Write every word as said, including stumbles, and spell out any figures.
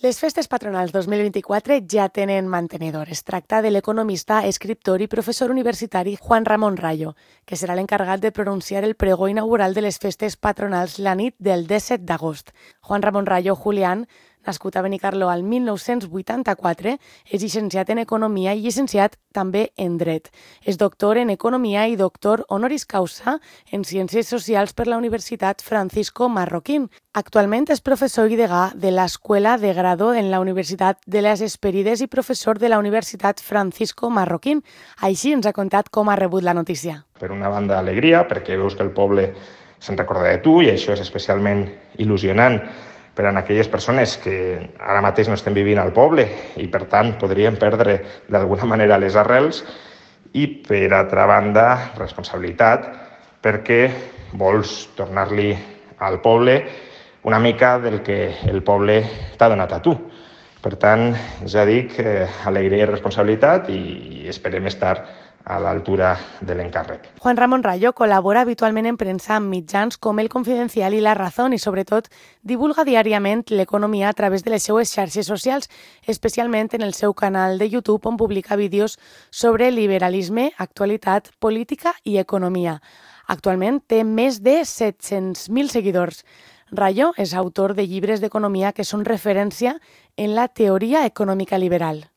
Les festes patronals dos mil vint-i-quatre ja tenen mantenedor. Es tracta de l'economista, escriptor i professor universitari Juan Ramón Rayo, que serà l'encarregat de pronunciar el pregó inaugural de les festes patronals la nit del disset d'agost. Juan Ramón Rayo Julián, nascut a Benicarló al mil nou-cents vuitanta-quatre, és llicenciat en Economia i llicenciat també en Dret. És doctor en Economia i doctor honoris causa en Ciències Socials per la Universitat Francisco Marroquín. Actualment és professor i degà de l'Escuela de Grado en la Universitat de les Hesperides i professor de la Universitat Francisco Marroquín. Així ens ha contat com ha rebut la notícia. Per una banda, alegria, perquè veus que el poble se'n recorda de tu i això és especialment il·lusionant per a aquelles persones que ara mateix no estem vivint al poble i, per tant, podrien perdre d'alguna manera les arrels. I, per altra banda, responsabilitat, perquè vols tornar-li al poble una mica del que el poble t'ha donat a tu. Per tant, ja dic, eh, alegria i responsabilitat i esperem estar a l'altura de l'encàrrec. Juan Ramón Rayo col·labora habitualment en premsa amb mitjans com El Confidencial i La Razón i, sobretot, divulga diàriament l'economia a través de les seues xarxes socials, especialment en el seu canal de YouTube, on publica vídeos sobre liberalisme, actualitat, política i economia. Actualment té més de set-cents mil seguidors. Rayo és autor de llibres d'economia que són referència en la teoria econòmica liberal.